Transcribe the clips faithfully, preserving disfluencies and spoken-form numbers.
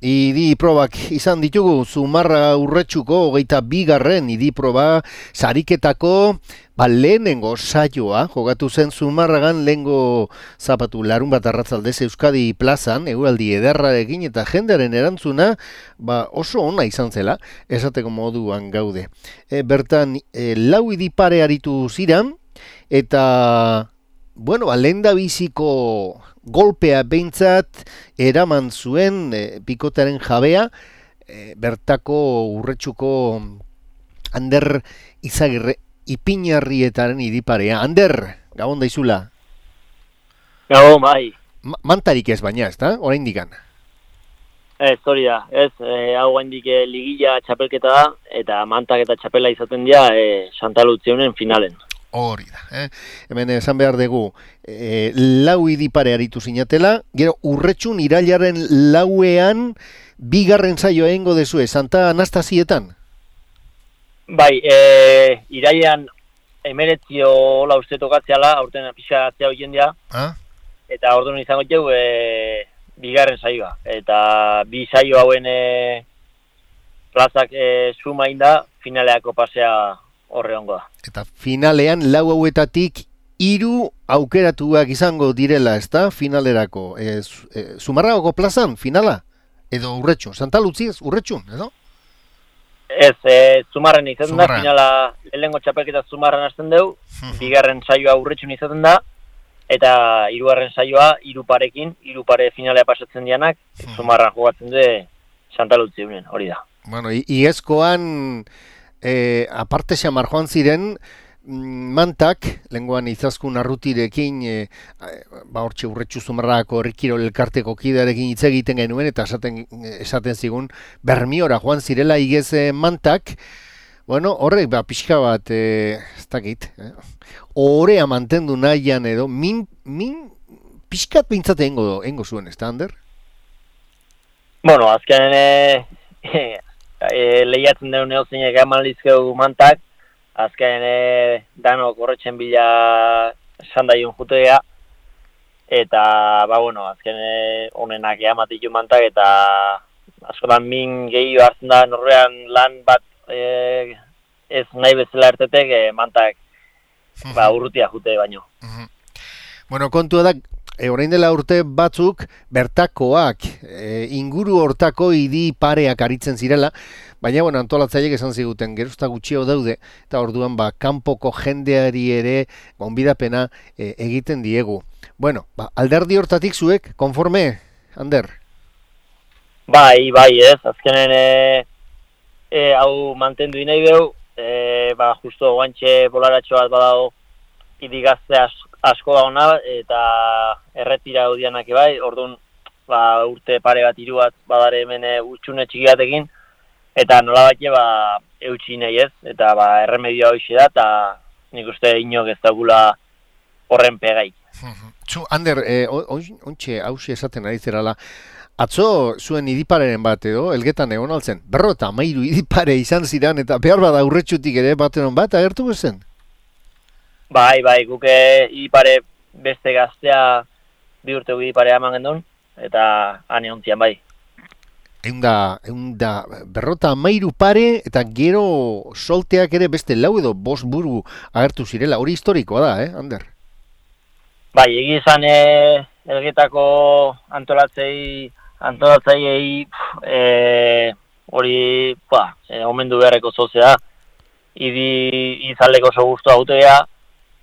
idi probak izan ditugu, Zumarraga Urretxuko hogeita bigarren idi proba sariketako ba, lehenengo saioa, jogatu zen Zumarragan lehengo zapatu larun bat arratzaldez Euskadi plazan, eguraldi ederrarekin eta jendearen erantzuna ba, oso ona izan zela, esateko moduan gaude. E, bertan, e, lau idi pare aritu ziran, eta bueno, lehendabiziko golpea behintzat eraman zuen e, pikotaren jabea, e, bertako Urretxuko Ander Izagirre Ipinarrietaren idiparea. Ander, gabon daizula. Gabon, bai. Ma mantarik ez baina, ez da? Orain dikan. Ez, hori da. Ez, e, hau gaindik e, ligila txapelketa da, eta mantak eta txapela izaten dira e, Santa Lutzionen finalen. Hori da, eh? Hemen esan behar dugu, e, lau idipare aritu zinatela, gero Urretxun irailaren lauean bigarren saioa egingo dezue, Santa Anastasietan? Bai, e, irailean emeretzio hola uste tokatzeala, aurten pixa atzea hoien dira, ah? Eta orduan izango jau e, bigarren saioa. Eta bi saio hauen e, plazak e, suma inda, finaleako pasea horre hongo da. Eta finalean lau hauetatik hiru aukeratuak izango direla, ezta? Finalerako. E, e, Zumarragako plazan, finala? Edo Urretxun? Santa Lutziez, Urretxun, edo? Ez, e, Zumarren izaten da, finala lehengo txapelketa Zumarren hasten dugu, bigarren saioa Urretxun izaten da, eta hirugarren saioa hiru parekin, hiru pare finalea pasatzen dianak, Zumarran jogatzen du Santa Lutzionen, hori da. Bueno, iazkoan E, aparte xamar joan ziren, mantak, lenguan izaskun arrutirekin, e, ba hortxe Urretxu Zumarragako herrikirol elkarteko kidearekin hitz egiten genuen, eta esaten, esaten zigun, Bermiora joan zirela igez mantak, bueno, horrek, ba, pixka bat, e, ez dakit, eh? Orea mantendu nahian edo, min, min pixkat bintzate engo, engo zuen, ez da, Ander? Bueno, azken, e, E, lehiatzen duen neozinek eman lizkeu mantak, azken e, danok horretxen bila sandaion jutea, eta, ba, bueno, azken e, honenak eamatitu mantak, eta askotan min gehiago hartzen da norrean lan bat e, ez nahi bezala ertetek e, mantak ba, urrutia jute baino. Bueno, kontua da, E, orain dela urte batzuk bertakoak e, inguru hortako idi pareak aritzen zirela, baina bueno, antolatzaileek esan ziguten gerozta gutxio daude, eta orduan ba, kanpoko jendeari ere gonbidapena e, egiten diegu. Bueno, ba, alderdi hortatik zuek, konforme, Ander? Bai, bai, ez, azkenen e, e, hau mantendu inai behu, e, ba, justo guantxe bolaratxo bat badago idigazte asko, asko da ona, eta erretira gaudianak bai, orduan ba, urte pare bat hiru bat badare hemen utxune txiki batekin, eta nola bat ba, eutxi nahi ez, eta ba, erremedioa hoxe da, eta nik uste inok ez daugula horren pegai. Zu, Ander, eh, ontxe hause esaten ari zerala, atzo zuen idipareren bat edo, elgetan egon altzen, berro eta amairu idipare izan ziren, eta behar bada Urretxutik ere bateron bat, agertu bezen? Bai, bai, guke idipare beste gaztea bi urte idipare eman gendun, eta ane ontzian bai. Eunda, eunda, berrota amairu pare, eta gero solteak ere beste lau edo bost buru agertu zirela, hori historikoa da, eh, Ander? Bai, egizan e, elgetako antolatzei, antolatzei e, hori, ba, e, omendu beharreko zozea, idi izaleko oso guztua autea,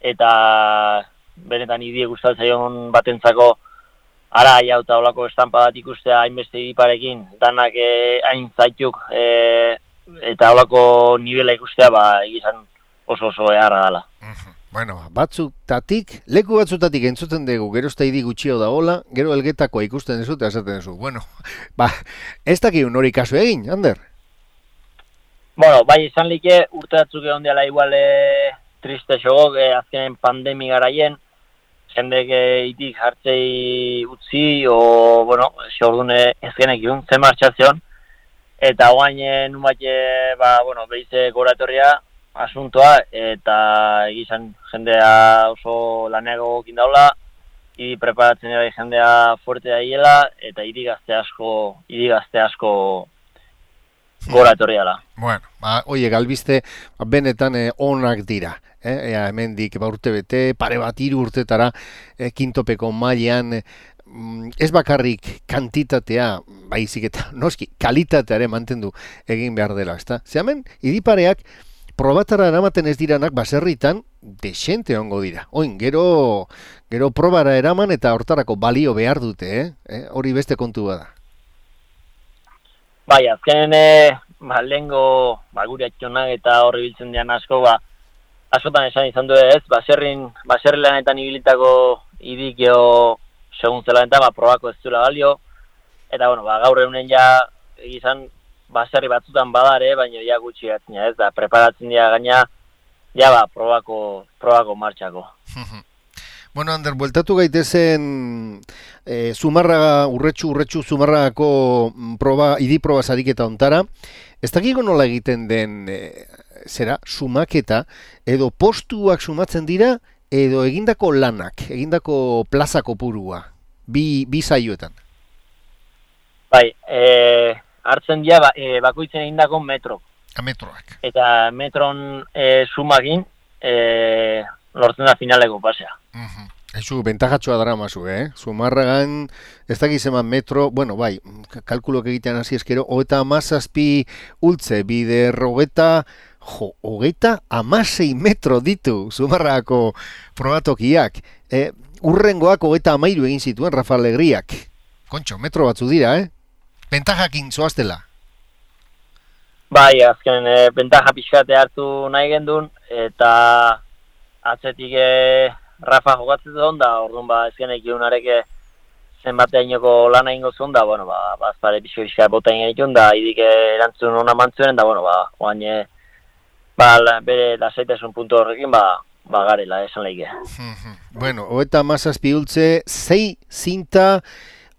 eta benetan idie gustatzaion batentzako ara ja eta olako estampa bat ikustea hainbeste idiparekin, danak eh, hain zaituk eh, eta olako nivela ikustea ba egizan oso oso eharra dela. Bueno, batzutatik, leku batzutatik entzuten dugu, gero ez da idi gutxio da hola, gero elgetakoa ikusten dezu eta esaten dezu. Bueno, ba, ez dakik hori kasu egin, Ander? Bueno, bai izan like urte batzuk egon dela igual eh, triste xogok, eh, azkenen pandemi garaien, jendek eh, itik hartzei utzi, o, bueno, xe ordune ezkenek iun, zen martxazion, eta guain eh, numat, eh, ba, bueno, behize gora etorria asuntoa, eta egizan jendea oso laneago gokin daula, idi preparatzen ere jendea fuerte daiela, eta idi gazte asko, idi gazte asko gora etorri dela. Bueno, ba, oie, galbiste, benetan eh, onak dira. Eh? Ea, hemendik ba, urte bete, pare bat hiru urtetara, eh, kintopeko mailan, eh, ez bakarrik kantitatea, baizik eta noski, kalitateare mantendu egin behar dela, ezta? Ze hemen, idipareak, probatara eramaten ez diranak baserritan, desente ongo dira. Oin, gero, gero probara eraman eta hortarako balio behar dute, eh? eh? Hori beste kontu bada. Bai, azkenen, e, ba, lehengo, ba, gure atxonak eta horri biltzen dian asko, ba, askotan esan izan du ez, baserrin, baserri lanetan ibilitako idik geho segun zela eta, ba, probako ez duela balio, eta, bueno, ba, gaur egunen ja, egizan, baserri batzutan badare, baina ja gutxi gatzina ez, da, preparatzen dira gaina, ja, ba, probako, probako martxako. Bueno, Ander, bueltatu gaitezen e, Zumarraga, urretxu, urretxu, Zumarragako proba, idi proba sariketa ontara. Ez dakiko nola egiten den, e, zera, sumaketa, edo postuak sumatzen dira, edo egindako lanak, egindako plaza kopurua, bi, bi saioetan. Bai, e, hartzen dira, ba, e, bakoitzen egindako metro. A metroak. Eta metron e, sumakin, e, lortzen da finaleko pasea. Uh-huh. Eizu, bentajatxoa dara mazu, eh? Zumarragan, ez dakiz eman metro, bueno, bai, kalkulok egitean hasi eskero, hogeita amazazpi ultze, bider hogeita, jo, hogeita amasei metro ditu Zumarragako probatokiak. Eh, urrengoak hogeita amairu egin zituen Rafa Alegriak. Kontxo, metro batzu dira, eh? Bentajakin zoaztela. Bai, azken, e, bentaja pixkate hartu nahi gendun, eta atzetik e, Rafa jokatzen dut da, orduan ba, ezkenek iunareke zenbateainoko lan egingo zuen da, bueno, ba, bazpare pixko pixka bota egin genitun, da, idik erantzun hona mantzuen, da, bueno, ba, oain, e, ba, la, bere lasaitasun puntu horrekin, ba, ba, garela, esan lehike. Bueno, hoeta mazazpi ultze, zei zinta,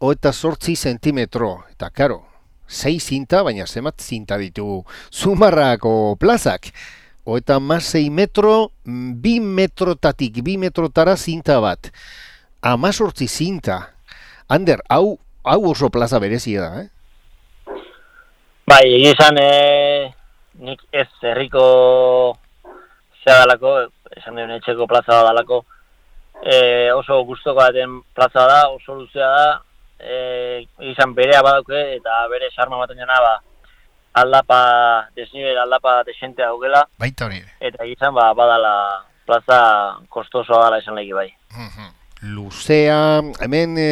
hoeta sortzi zentimetro, eta karo, zei zinta, baina zemat zinta ditu Zumarragako plazak. Hoeta amasei metro, bi metrotatik, bi metrotara zinta bat. Amazortzi zinta. Ander, hau, hau oso plaza berezia da, eh? Bai, egizan, e, nik ez herriko zea dalako, esan duen etxeko plaza da dalako, e, oso gustoko daten plaza da, oso luzea da, e, egizan berea badauke, eta bere sarma baten jana, ba, aldapa, desnivel aldapa desente daukela. Baita hori. Eta egizan, ba, badala plaza kostosoa dala esan lehiki bai. Luzea, hemen e,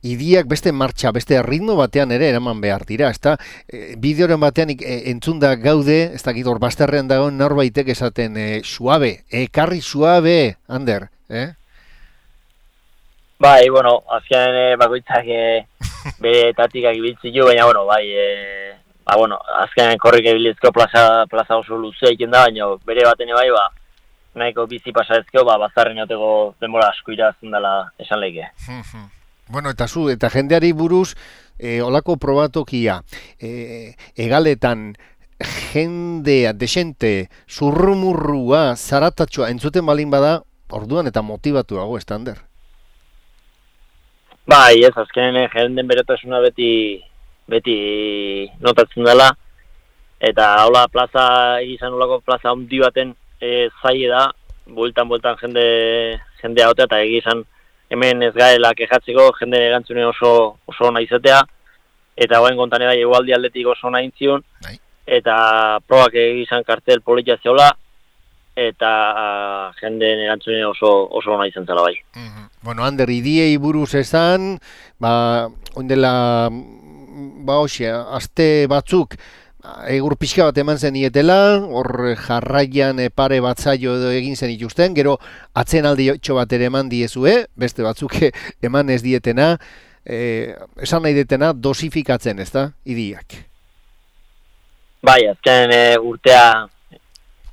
idiak beste martxa, beste ritmo batean ere eraman behar dira, ezta? E, bideoren batean e, entzunda gaude, ez dakit hor bazterrean dagoen norbaitek esaten e, suabe, ekarri suabe, Ander, eh? Bai, bueno, azkenean e, bakoitzak e, bere tatikak ibiltzi jo, baina, bueno, bai, e, ba, bueno, azkenean korrik ebilizko plaza, plaza oso luzea iken da, baina bere baten bai, ba, nahiko bizi pasarezkeo, ba, bazarren joteko denbora asko irazten dela esan lehike. Bueno, eta zu, eta jendeari buruz, e, olako probatokia, e, egaletan, jendea, desente, zurrumurrua, zaratatxoa, entzuten balin bada, orduan eta motivatuago, estander? Bai, ez, azkenen jenden beretasuna beti, beti notatzen dela, eta hola plaza, egizan olako plaza handi baten e, zaie da, bueltan-bueltan jende, jendea hotea, eta egizan hemen ez gaela kejatzeko, jende erantzune oso, oso ona izatea, eta goen kontan bai egualdi aldetik oso ona intzion, eta probak egizan kartel politia zeola, eta uh, jendeen erantzune oso, oso ona izan zela bai. Mm-hmm. Bueno, Ander, idiei buruz esan, ba, oindela, ba, hoxe, aste batzuk, egur pixka bat eman zen ietela, hor jarraian pare batzaio edo egin zen ikusten, gero atzen aldi txo bat ere eman diezue, beste batzuk eman ez dietena, eh, esan nahi detena dosifikatzen, ez da, idiak? Bai, azken e, urtea,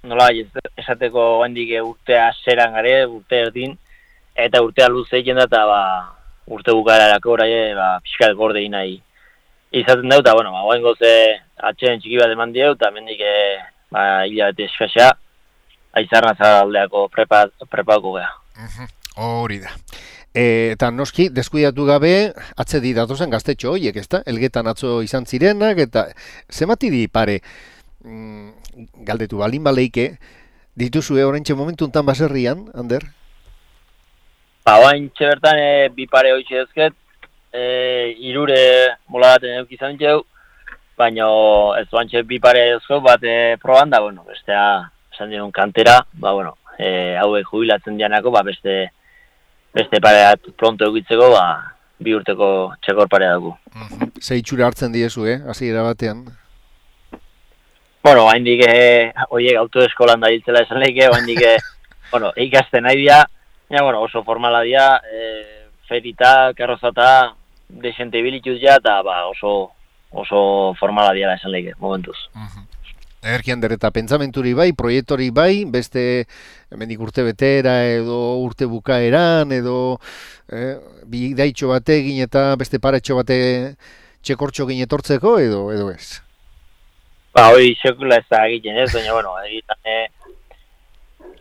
nola esateko hendik urtea zeran gare, urte erdin, eta urtea luze egin da, eta ba, urte bukararako oraie, ba, pixkat gorde nahi izaten dut, eta, bueno, ba, goen goze atxeen txiki bat eman dieu, eta mendik, e, ba, hilabete eskasea, aizarna zaraldeako prepa, prepako geha. Hori da. eta noski, deskuidatu gabe, atzedi datozen gaztetxo horiek, ezta? Elgetan atzo izan zirenak, eta zemati di pare, mm, galdetu balin baleike, dituzue oraintxe momentu untan baserrian, Ander? Ba, oraintxe bertan e, bi pare hoitxe ezket, e, irure mola baten euk izan txeu, baina ez oantxe bi pare ezko bat e, proban da, bueno, bestea, esan dion kantera, ba, bueno, e, hauek jubilatzen dianako, ba, beste beste pareat pronto egitzeko, ba, bi urteko txekor parea dugu. Ze itxura hartzen diezu, eh, hasiera batean? Bueno, haindik, eh, oiek autoeskolan da hiltzela esan lehike, haindik, eh, bueno, ikasten nahi dira, ja, bueno, oso formala dira, eh, ferita, karrozata, desente bilituz ja, eta ba, oso, oso formala dira esan lehike, momentuz. Uh-huh. Egerki Ander, eta pentsamenturi bai, proiektori bai, beste hemendik urte betera edo urte bukaeran edo eh, bidaitxo bategin eta beste paretxo bate txekortxo gine etortzeko edo edo ez? Ba, hori sekula ez da egiten ez, baina, bueno, egiten, eh,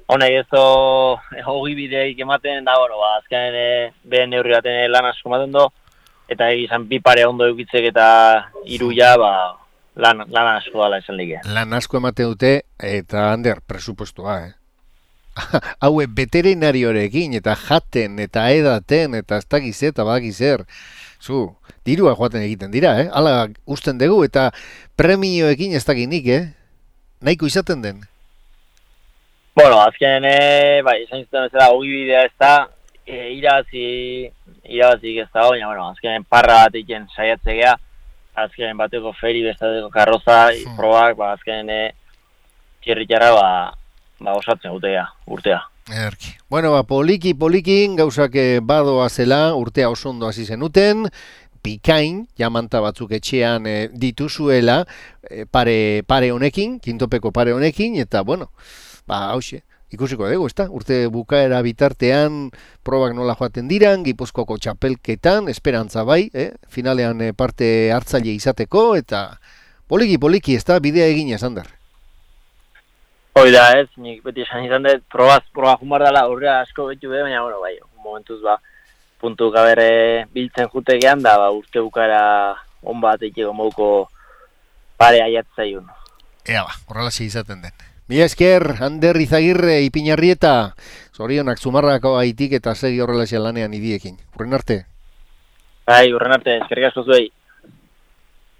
honek ez do, hogi bideik ematen, da, bueno, ba, azkenean eh, behen neurri baten eh, lan asko ematen do, eta egizan bi pare ondo eukitzek eta hiru ja, ba, Lan, lan asko dala esan lige. Lan asko emate dute, eta Ander, presupuestua, eh? Haue veterinariorekin, eta jaten, eta edaten, eta ez dakiz eta badakizer. Zu, dirua joaten egiten dira, eh? Hala usten dugu, eta premioekin ez dakinik, eh? Nahiko izaten den? Bueno, azken, eh, bai, esan izan ez da, hogi bidea ez da, e, irabazi, irabazik ez da, baina, bueno, azken parra bat egin saiatzea, azken bateko feri, bestateko karroza, hmm. probak, ba, azken e, txerritxarra, ba, ba, osatzen gutea, urtea. Erki. Bueno, ba, poliki, polikin, gauzak badoa zela, urtea oso ondo hasi zenuten, pikain, jamanta batzuk etxean e, dituzuela, e, pare, pare honekin, kintopeko pare honekin, eta, bueno, ba, hauxe. Ikusiko dugu, ezta? Urte bukaera bitartean probak nola joaten diran, Gipuzkoako txapelketan, esperantza bai, eh? Finalean eh, parte hartzaile izateko, eta poliki-poliki, ezta? Bidea egin esan dar. Hoi da, ez, nik beti esan izan dut, probaz, proba jumar dela, urrea asko betu be, baina, bueno, bai, momentuz, ba, puntu gabere biltzen jutegean, da, ba, urte bukaera on bat eiteko mouko pare aiatzaiun. Ea ba, horrela izaten den. Mila esker, Ander Izagirre, Ipinarrieta, zorionak Zumarrako aitik eta segi horrela lanean idiekin. Urren arte? Bai, urren arte, eskerrik asko zuei.